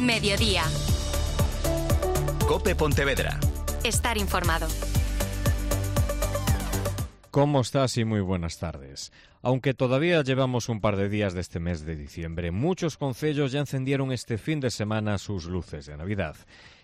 Mediodía. COPE Pontevedra. Estar informado. ¿Cómo estás? Y muy buenas tardes. Aunque todavía llevamos un par de días de este mes de diciembre, muchos concellos ya encendieron este fin de semana sus luces de Navidad.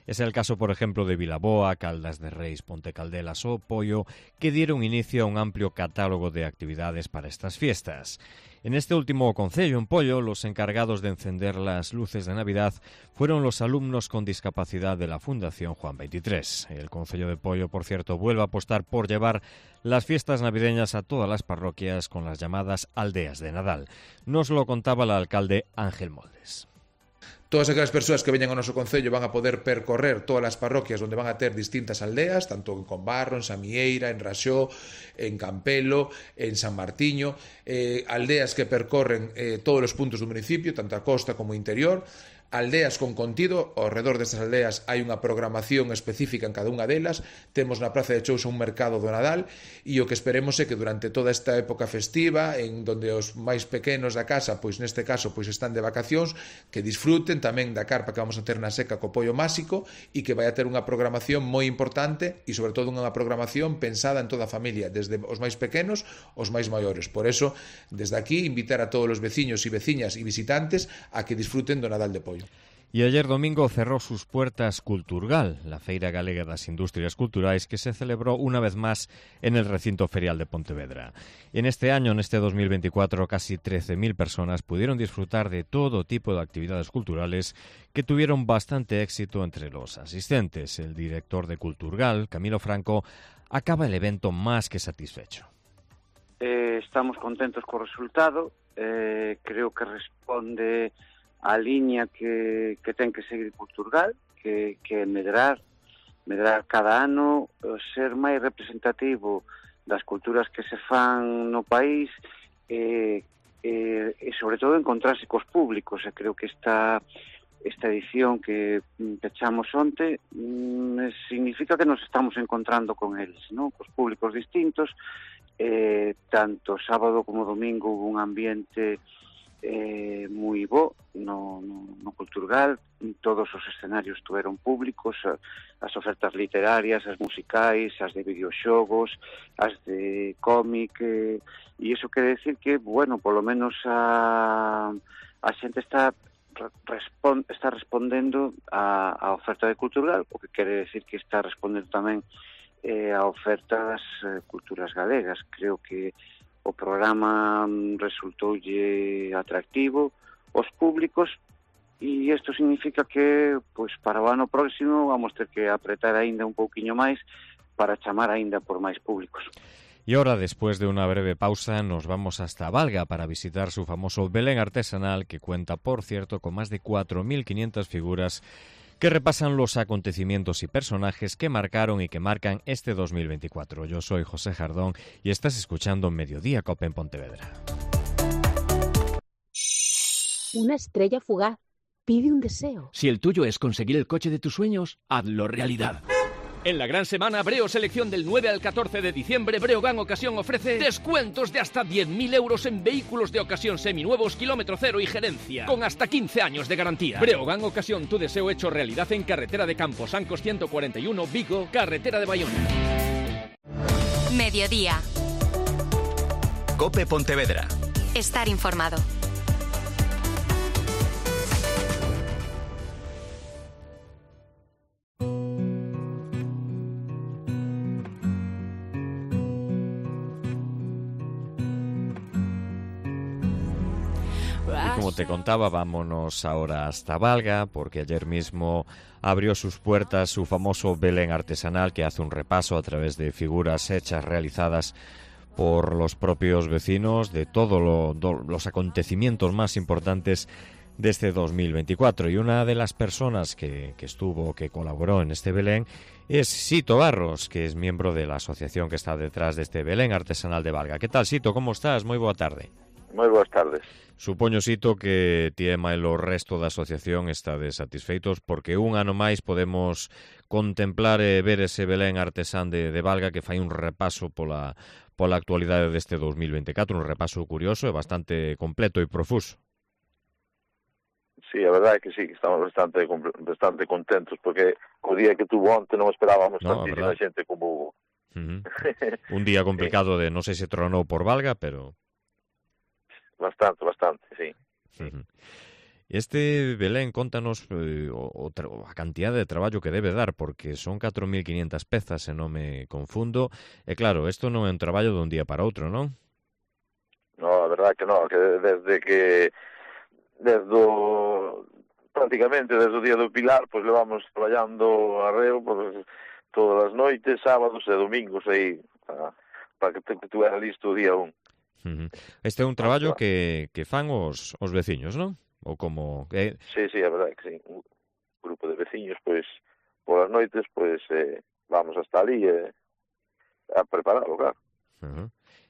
Es el caso, por ejemplo, de Vilaboa, Caldas de Reis, Pontecaldelas o Poio, que dieron inicio a un amplio catálogo de actividades para estas fiestas. En este último concello, en Poio, los encargados de encender las luces de Navidad fueron los alumnos con discapacidad de la Fundación Juan 23. El concello de Poio, por cierto, vuelve a apostar por llevar las fiestas navideñas a todas las parroquias con las llamadas aldeas de Nadal. Nos lo contaba el alcalde Ángel Moldes. Todas aquelas persoas que veñan ao noso concello van a poder percorrer todas as parroquias onde van a ter distintas aldeas, tanto en Combarro, en Samieira, en Raxó, en Campelo, en San Martiño, aldeas que percorren todos os puntos do municipio, tanto a costa como o interior, aldeas con contido. Ao redor destas aldeas hai unha programación específica en cada unha delas. Temos na Praza de Chousa un mercado do Nadal e o que esperemos é que durante toda esta época festiva, en donde os máis pequenos da casa, pois neste caso pois están de vacacións, que disfruten tamén da carpa que vamos a ter na seca co pollo máxico e que vai a ter unha programación moi importante e sobre todo unha programación pensada en toda a familia, desde os máis pequenos aos máis maiores. Por eso, desde aquí, invitar a todos os veciños e veciñas e visitantes a que disfruten do Nadal de Poio. Y ayer domingo cerró sus puertas Culturgal, la Feira Galega das Industrias Culturais, que se celebró una vez más en el recinto ferial de Pontevedra. En este año, en este 2024, casi 13.000 personas pudieron disfrutar de todo tipo de actividades culturales que tuvieron bastante éxito entre los asistentes. El director de Culturgal, Camilo Franco, acaba el evento más que satisfecho. Estamos contentos co resultado, creo que responde a liña que ten que seguir Culturgal, que medrar cada ano, ser máis representativo das culturas que se fan no país e sobre todo encontrarse cos públicos. E creo que esta edición que pechamos onte significa que nos estamos encontrando con eles, ¿no? Cos públicos distintos, tanto sábado como domingo hubo un ambiente moi bo no Culturgal. Todos os escenarios estuveron públicos, as ofertas literarias, as musicais, as de videoxogos, as de cómic, e iso quere decir que, bueno, polo menos a xente está respondendo a oferta de Culturgal, o que quere decir que está respondendo tamén a oferta das culturas galegas. Creo que o programa resultoulle atractivo aos públicos e isto significa que pois para o ano próximo vamos ter que apretar aínda un pouquiño máis para chamar aínda por máis públicos. Y ahora, después de una breve pausa, nos vamos hasta Valga para visitar su famoso Belén artesanal, que cuenta, por cierto, con más de 4.500 figuras que repasan los acontecimientos y personajes que marcaron y que marcan este 2024. Yo soy José Jardón y estás escuchando Mediodía COPE en Pontevedra. Una estrella fugaz pide un deseo. Si el tuyo es conseguir el coche de tus sueños, hazlo realidad. En la gran semana Breo Selección del 9 al 14 de diciembre, Breogán Ocasión ofrece descuentos de hasta 10.000 euros en vehículos de ocasión seminuevos, kilómetro cero y gerencia, con hasta 15 años de garantía. Breogán Ocasión, tu deseo hecho realidad en carretera de Camposancos 141, Vigo, carretera de Bayona. Mediodía. COPE Pontevedra. Estar informado. Como te contaba, vámonos ahora hasta Valga, porque ayer mismo abrió sus puertas su famoso Belén artesanal, que hace un repaso a través de figuras hechas, realizadas por los propios vecinos de todos los acontecimientos más importantes de este 2024. Y una de las personas que colaboró en este Belén es Sito Barros, que es miembro de la asociación que está detrás de este Belén artesanal de Valga. ¿Qué tal, Sito? ¿Cómo estás? Moi boa tarde. Moi boas tardes. Supoño, Sito, que ti e o resto da asociación estades satisfeitos porque un ano máis podemos contemplar e ver ese Belén artesán de Valga que fai un repaso pola actualidade deste 2024, un repaso curioso e bastante completo e profuso. Sí, a verdade é que sí, estamos bastante contentos, porque o día que tuvo onte non esperábamos tantísima xente como hubo. Un día complicado de, non sei se tronou por Valga, pero... Bastante, sí. Este Belén, contanos a cantidad de traballo que debe dar, porque son 4.500 pezas, se non me confundo, e claro, isto non é un traballo dun día para outro, non? No, a verdade que non, que prácticamente desde o día do Pilar, pois levamos traballando arreo pois, todas as noites, sábados e domingos aí, para que tuera listo o día 1. Este é un traballo que fan os veciños, non? Ou como... Sí, a verdade que sí. Un grupo de veciños, pois, polas noites, pois, vamos hasta ali a prepararlo, claro.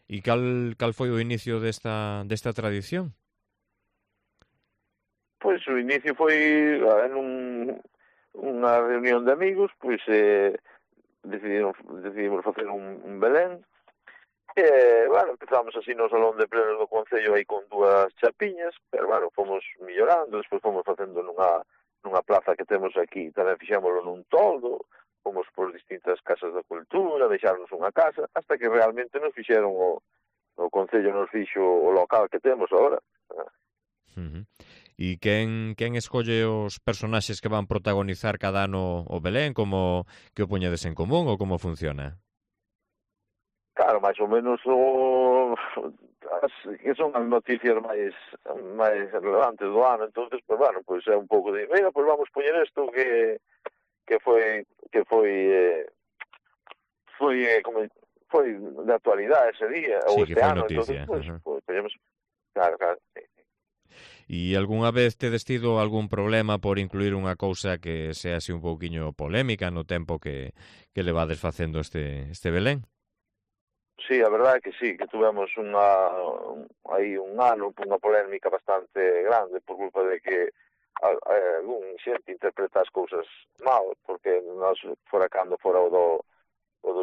E cal foi o inicio desta tradición? Pois o inicio foi en unha reunión de amigos, pois decidimos facer un Belén. Bueno, empezamos así no salón de plenos do Concello aí con 2 chapiñas, pero bueno, fomos millorando, despois fomos facendo nunha plaza que temos aquí, tamén fixámoslo nun toldo, fomos por distintas casas da cultura, deixarnos unha casa, hasta que realmente nos fixeron o Concello nos fixo o local que temos agora. E quen escolle os personaxes que van protagonizar cada ano o Belén, como que o poñedes en común ou como funciona? Claro, máis ou menos que son as noticias máis relevantes do ano, entonces, pues bueno, pues é un pouco de, mira, pues vamos poñer isto que foi de actualidade ese día, ou este ano, noticia. Entonces, pues poñemos, claro, sí. E algunha vez tedes tido algún problema por incluir unha cousa que sea así un pouquiño polémica no tempo que levades facendo este Belén? Sí, a verdade é que sí, que tuvemos aí un ano unha polémica bastante grande por culpa de que algún xente interpreta as cousas mal, porque nós cando fora o do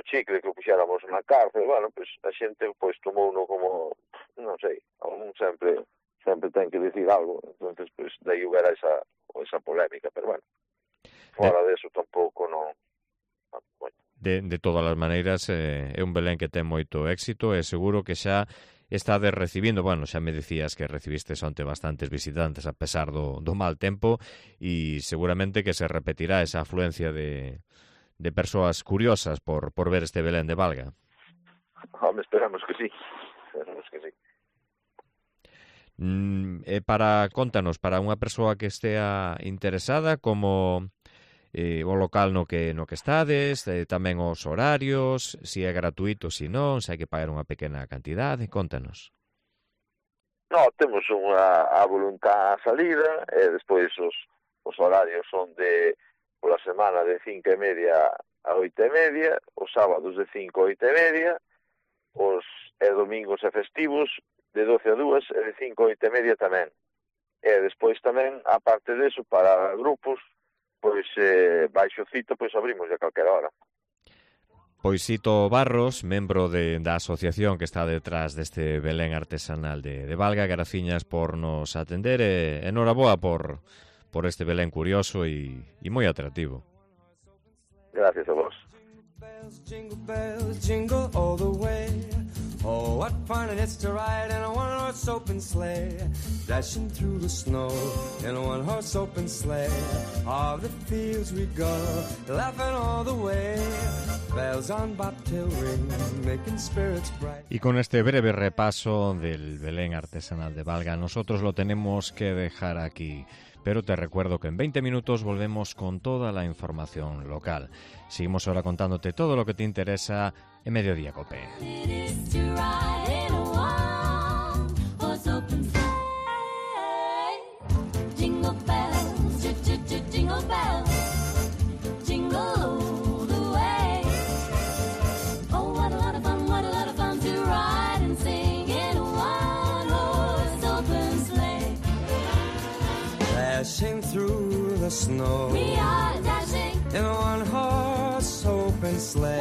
chicle que o puxéramos na cárcel, bueno, pues a xente pois tomouno como, non sei, algún sempre ten que decir algo, entonces pues daí hubiera esa polémica, pero bueno, fora de eso tampouco non. Bueno. De todas as maneiras, é un Belén que ten moito éxito e seguro que xa estades recibindo, bueno, xa me dicías que recibistes onte bastantes visitantes a pesar do mal tempo e seguramente que se repetirá esa afluencia de persoas curiosas por ver este Belén de Valga. Esperamos que sí. Contanos, para unha persoa que estea interesada, como o local no que estades, tamén os horarios, se é gratuito, se non, se hai que pagar unha pequena cantidade, contanos. No, temos a voluntad a salida, e despois os horarios son pola semana de 5:30 a 8:30, os sábados de 5 a 8:30, os domingos e festivos de 12 a 2 e de 5 a 8:30 tamén. E despois tamén, aparte deso, para grupos, pois baixo cito, pois abrimos a calquera hora. Pois Sito Barros, membro da asociación que está detrás deste Belén artesanal de Valga, graciñas por nos atender e enhoraboa por este Belén curioso e moi atractivo. Gracias a vos. Jingle bells, jingle all the way. Oh, what fun it is to ride in a one-horse open sleigh, dashing through the snow in a one-horse open sleigh. All the fields we go, laughing all the way. Bells on bobtail ring, making spirits bright. Y con este breve repaso del Belén artesanal de Valga, nosotros lo tenemos que dejar aquí. Pero te recuerdo que en 20 minutos volvemos con toda la información local. Seguimos ahora contándote todo lo que te interesa en Mediodía Cope. Dashing through the snow, we are dashing in a one-horse open sleigh.